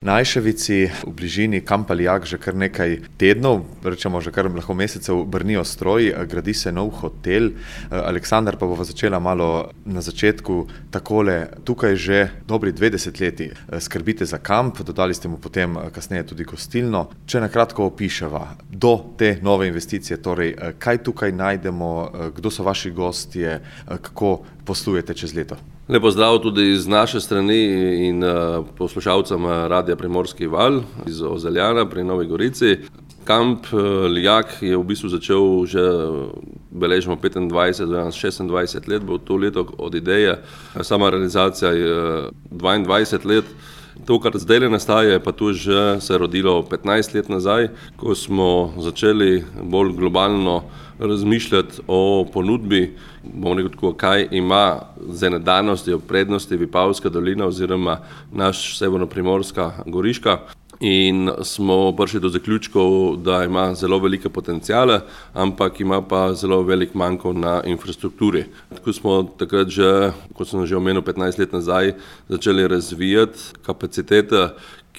Na Ajševici v bližini Kampa Lijak že kar nekaj tednov, rečemo že kar lahko mesecev, brnijo stroji, gradi se nov hotel. Aleksandar, pa bova začela malo na začetku takole. Tukaj že dobri 2 desetletji skrbite za kamp, dodali ste mu potem kasneje tudi gostilno. Če na kratko opiševa do te nove investicije, torej kaj tukaj najdemo, kdo so vaši gostje, kako poslujete čez leto? Lep pozdrav tudi z naše strani in poslušalcem Radia Primorski val iz Ozeljana pri Novi Gorici. Kamp Lijak je v bistvu začel že, beležimo 25 do 26 let, bo to leto od ideje. Sama realizacija je 22 let. To, kar zdaj nastaja, pa tu že se je rodilo 15 let nazaj, ko smo začeli bolj globalno razmišljati o ponudbi, bomo rekel tako, kaj ima z ene danosti, prednosti Vipavska dolina oziroma naš severnoprimorska Goriška. In smo prišli do zaključkov, da ima zelo velike potencijale, ampak ima pa zelo velik manko na infrastrukturi. Tako smo takrat že, kot sem že omenil, 15 let nazaj začeli razvijati kapacitete,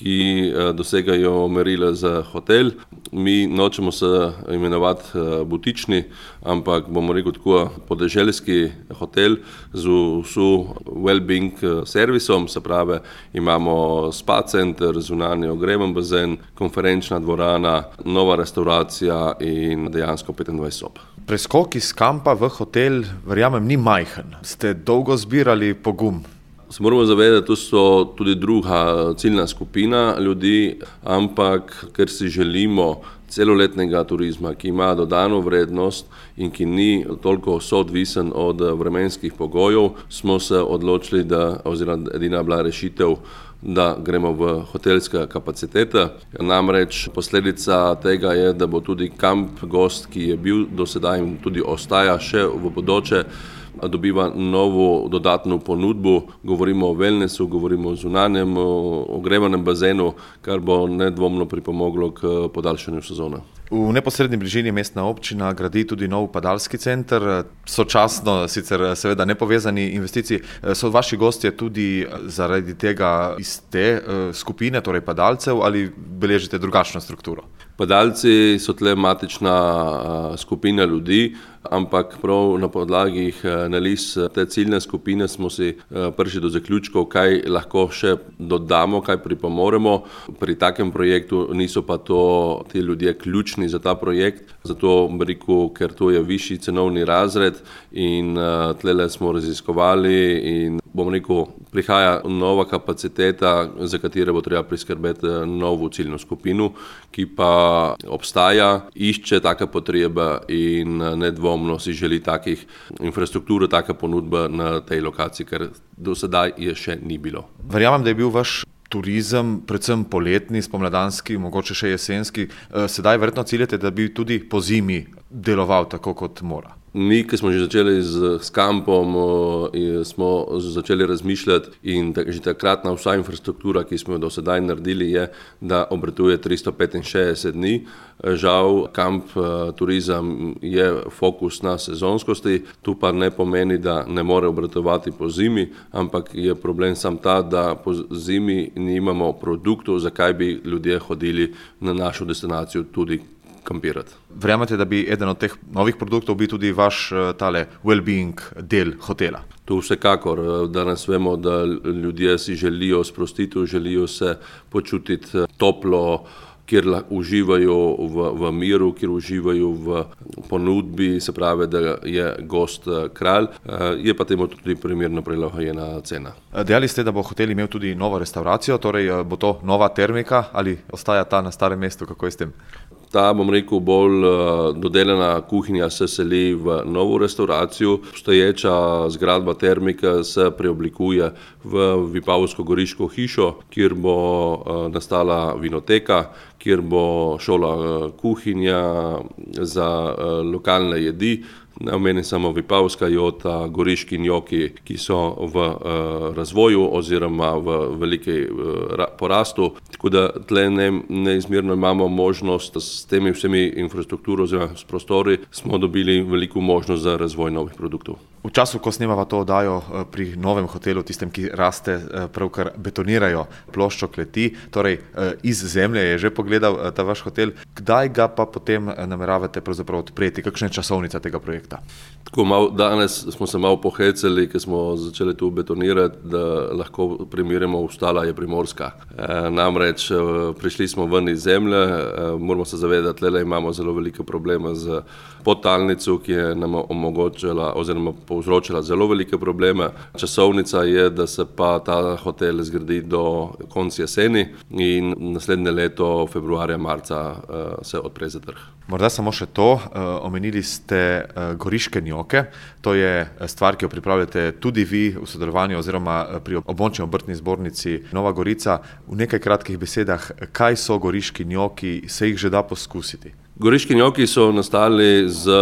ki dosegajo merila za hotel. Mi nočemo se imenovati butični, ampak bomo rekel tako podeželski hotel z vso well-being servisom, se pravi imamo spa center, zunanji ogrevan bazen, konferenčna dvorana, nova restauracija in dejansko 25 sob. Preskok iz kampa v hotel, verjamem, ni majhen. Ste dolgo zbirali pogum? Se moramo zavedati, da so tudi druga ciljna skupina ljudi, ampak ker si želimo celoletnega turizma, ki ima dodano vrednost in ki ni toliko soodvisen od vremenskih pogojev, smo se odločili, oziroma edina bila rešitev, da gremo v hotelske kapacitete. Namreč posledica tega je, da bo tudi kamp gost, ki je bil do sedaj in tudi ostaja še v bodoče, dobiva novo dodatno ponudbo. Govorimo o wellnessu, govorimo o zunanjem ogrevanem bazenu, kar bo nedvomno pripomoglo k podaljšanju sezone. V neposredni bližini mestna občina gradi tudi nov padalski center, sočasno sicer seveda nepovezani investiciji. So vaši gostje tudi zaradi tega iz te skupine, torej padalcev, ali beležite drugačno strukturo? Padalci so tle matična skupina ljudi, ampak prav na podlagi analiz te ciljne skupine smo si prišli do zaključkov, kaj lahko še dodamo, kaj pripomoremo. Pri takem projektu niso pa ti ljudje ključni za ta projekt, zato rekel, ker to je višji cenovni razred in tlele smo raziskovali in rekel, prihaja nova kapaciteta, za katere bo treba priskrbeti novo ciljno skupino, ki pa obstaja, išče take potrebe in nedvomno si želi takih infrastruktur, take ponudbe na tej lokaciji, ker do sedaj je še ni bilo. Verjamem, da je bil vaš turizem predvsem poletni, spomladanski, mogoče še jesenski. Sedaj verjetno ciljate, da bi tudi po zimi deloval tako, kot mora. Mi, ki smo že začeli s kampom, smo začeli razmišljati in že takratna vsa infrastruktura, ki smo jo do sedaj naredili, je, da obratuje 365 dni. Žal, kamp turizem je fokus na sezonskosti, tu pa ne pomeni, da ne more obratovati po zimi, ampak je problem sam ta, da po zimi nimamo produktov, zakaj bi ljudje hodili na našo destinacijo tudi kampirati. Verjamete, da bi eden od teh novih produktov bil tudi vaš tale well-being del hotela? To vsekakor. Danes vemo, da ljudje si želijo sprostitev, želijo se počutiti toplo, kjer uživajo v miru, kjer uživajo v ponudbi, se pravi, da je gost kralj, je pa temu tudi primerno prilagojena cena. Dejali ste, da bo hotel imel tudi novo restauracijo, torej bo to nova termika ali ostaja ta na starem mestu, kako je s tem? Ta, rekel, bolj dodelana kuhinja se seli v novo restauracijo. Obstoječa zgradba termika se preoblikuje v Vipavsko-Goriško hišo, kjer bo nastala vinoteka, kjer bo šola kuhinja za lokalne jedi. Ne omenim samo Vipavska jota, goriški njoki, ki so v razvoju oziroma v veliki porastu. Tako da tle neizmerno imamo možnost s temi vsemi infrastrukturo oziroma s prostori, smo dobili veliko možnost za razvoj novih produktov. V času, ko snemava to oddajo pri novem hotelu, tistem, ki raste, pravkar betonirajo ploščo kleti, torej iz zemlje je že pogledal ta vaš hotel. Kdaj ga pa potem nameravate pravzaprav odpreti? Kakšna je časovnica tega projekta? Danes smo se malo pohecali, ker smo začeli tu betonirati, da lahko primerjamo, ostala je Primorska. Namreč prišli smo ven iz zemlje, moramo se zavedati, da imamo zelo velike probleme z podtalnico, ki je nam omogočila oziroma povzročila zelo velike probleme. Časovnica je, da se pa ta hotel zgradi do konca jeseni in naslednje leto, februarja, marca se odpre za trg. Morda samo še to, omenili ste goriške njoke, to je stvar, ki jo pripravljate tudi vi v sodelovanju oziroma pri območni obrtni zbornici Nova Gorica. V nekaj kratkih besedah, kaj so goriški njoki, se jih že da poskusiti? Goriški njoki so nastali z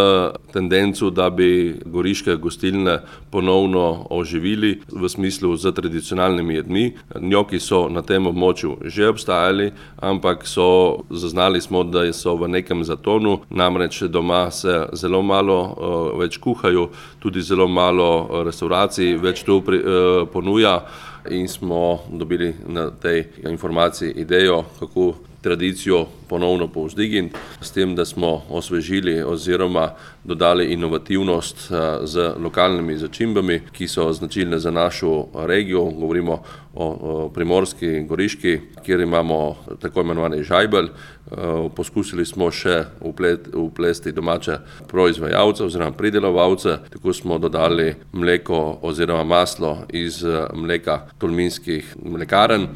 tendenco, da bi goriške gostilne ponovno oživili v smislu z tradicionalnimi jedmi. Njoki so na tem območju že obstajali, ampak zaznali smo, da so v nekem zatonu, namreč doma se zelo malo več kuhajo, tudi zelo malo restauracij več to ponuja in smo dobili na tej informaciji idejo, kako tradicijo ponovno povzdigniti, s tem, da smo osvežili oziroma dodali inovativnost z lokalnimi začimbami, ki so značilne za našo regijo. Govorimo o Primorski, Goriški, kjer imamo tako imenovani žajbelj. Poskusili smo še vplesti domače proizvajalce oziroma pridelovalce, tako smo dodali mleko oziroma maslo iz mleka tolminskih mlekarn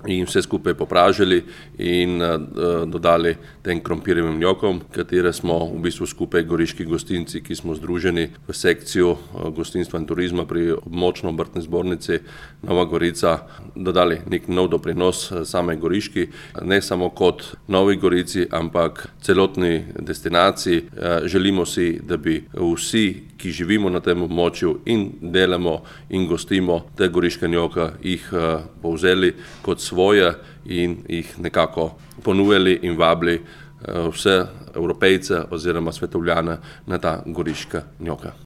in vse skupaj popražili in dodali tem krompirjevim njokom, katere smo v bistvu skupaj goriški gostinci, ki smo združeni v sekcijo gostinstva in turizma pri območni obrtni zbornici Nova Gorica, dodali nek nov doprinos same Goriški, ne samo kot Novi Gorici, ampak celotni destinaciji. Želimo si, da bi vsi, ki živimo na tem območju in delamo in gostimo te goriške njoke, jih povzeli kot svoje in jih nekako ponujali in vabili vse Evropejce oziroma svetovljane na ta goriška njoka.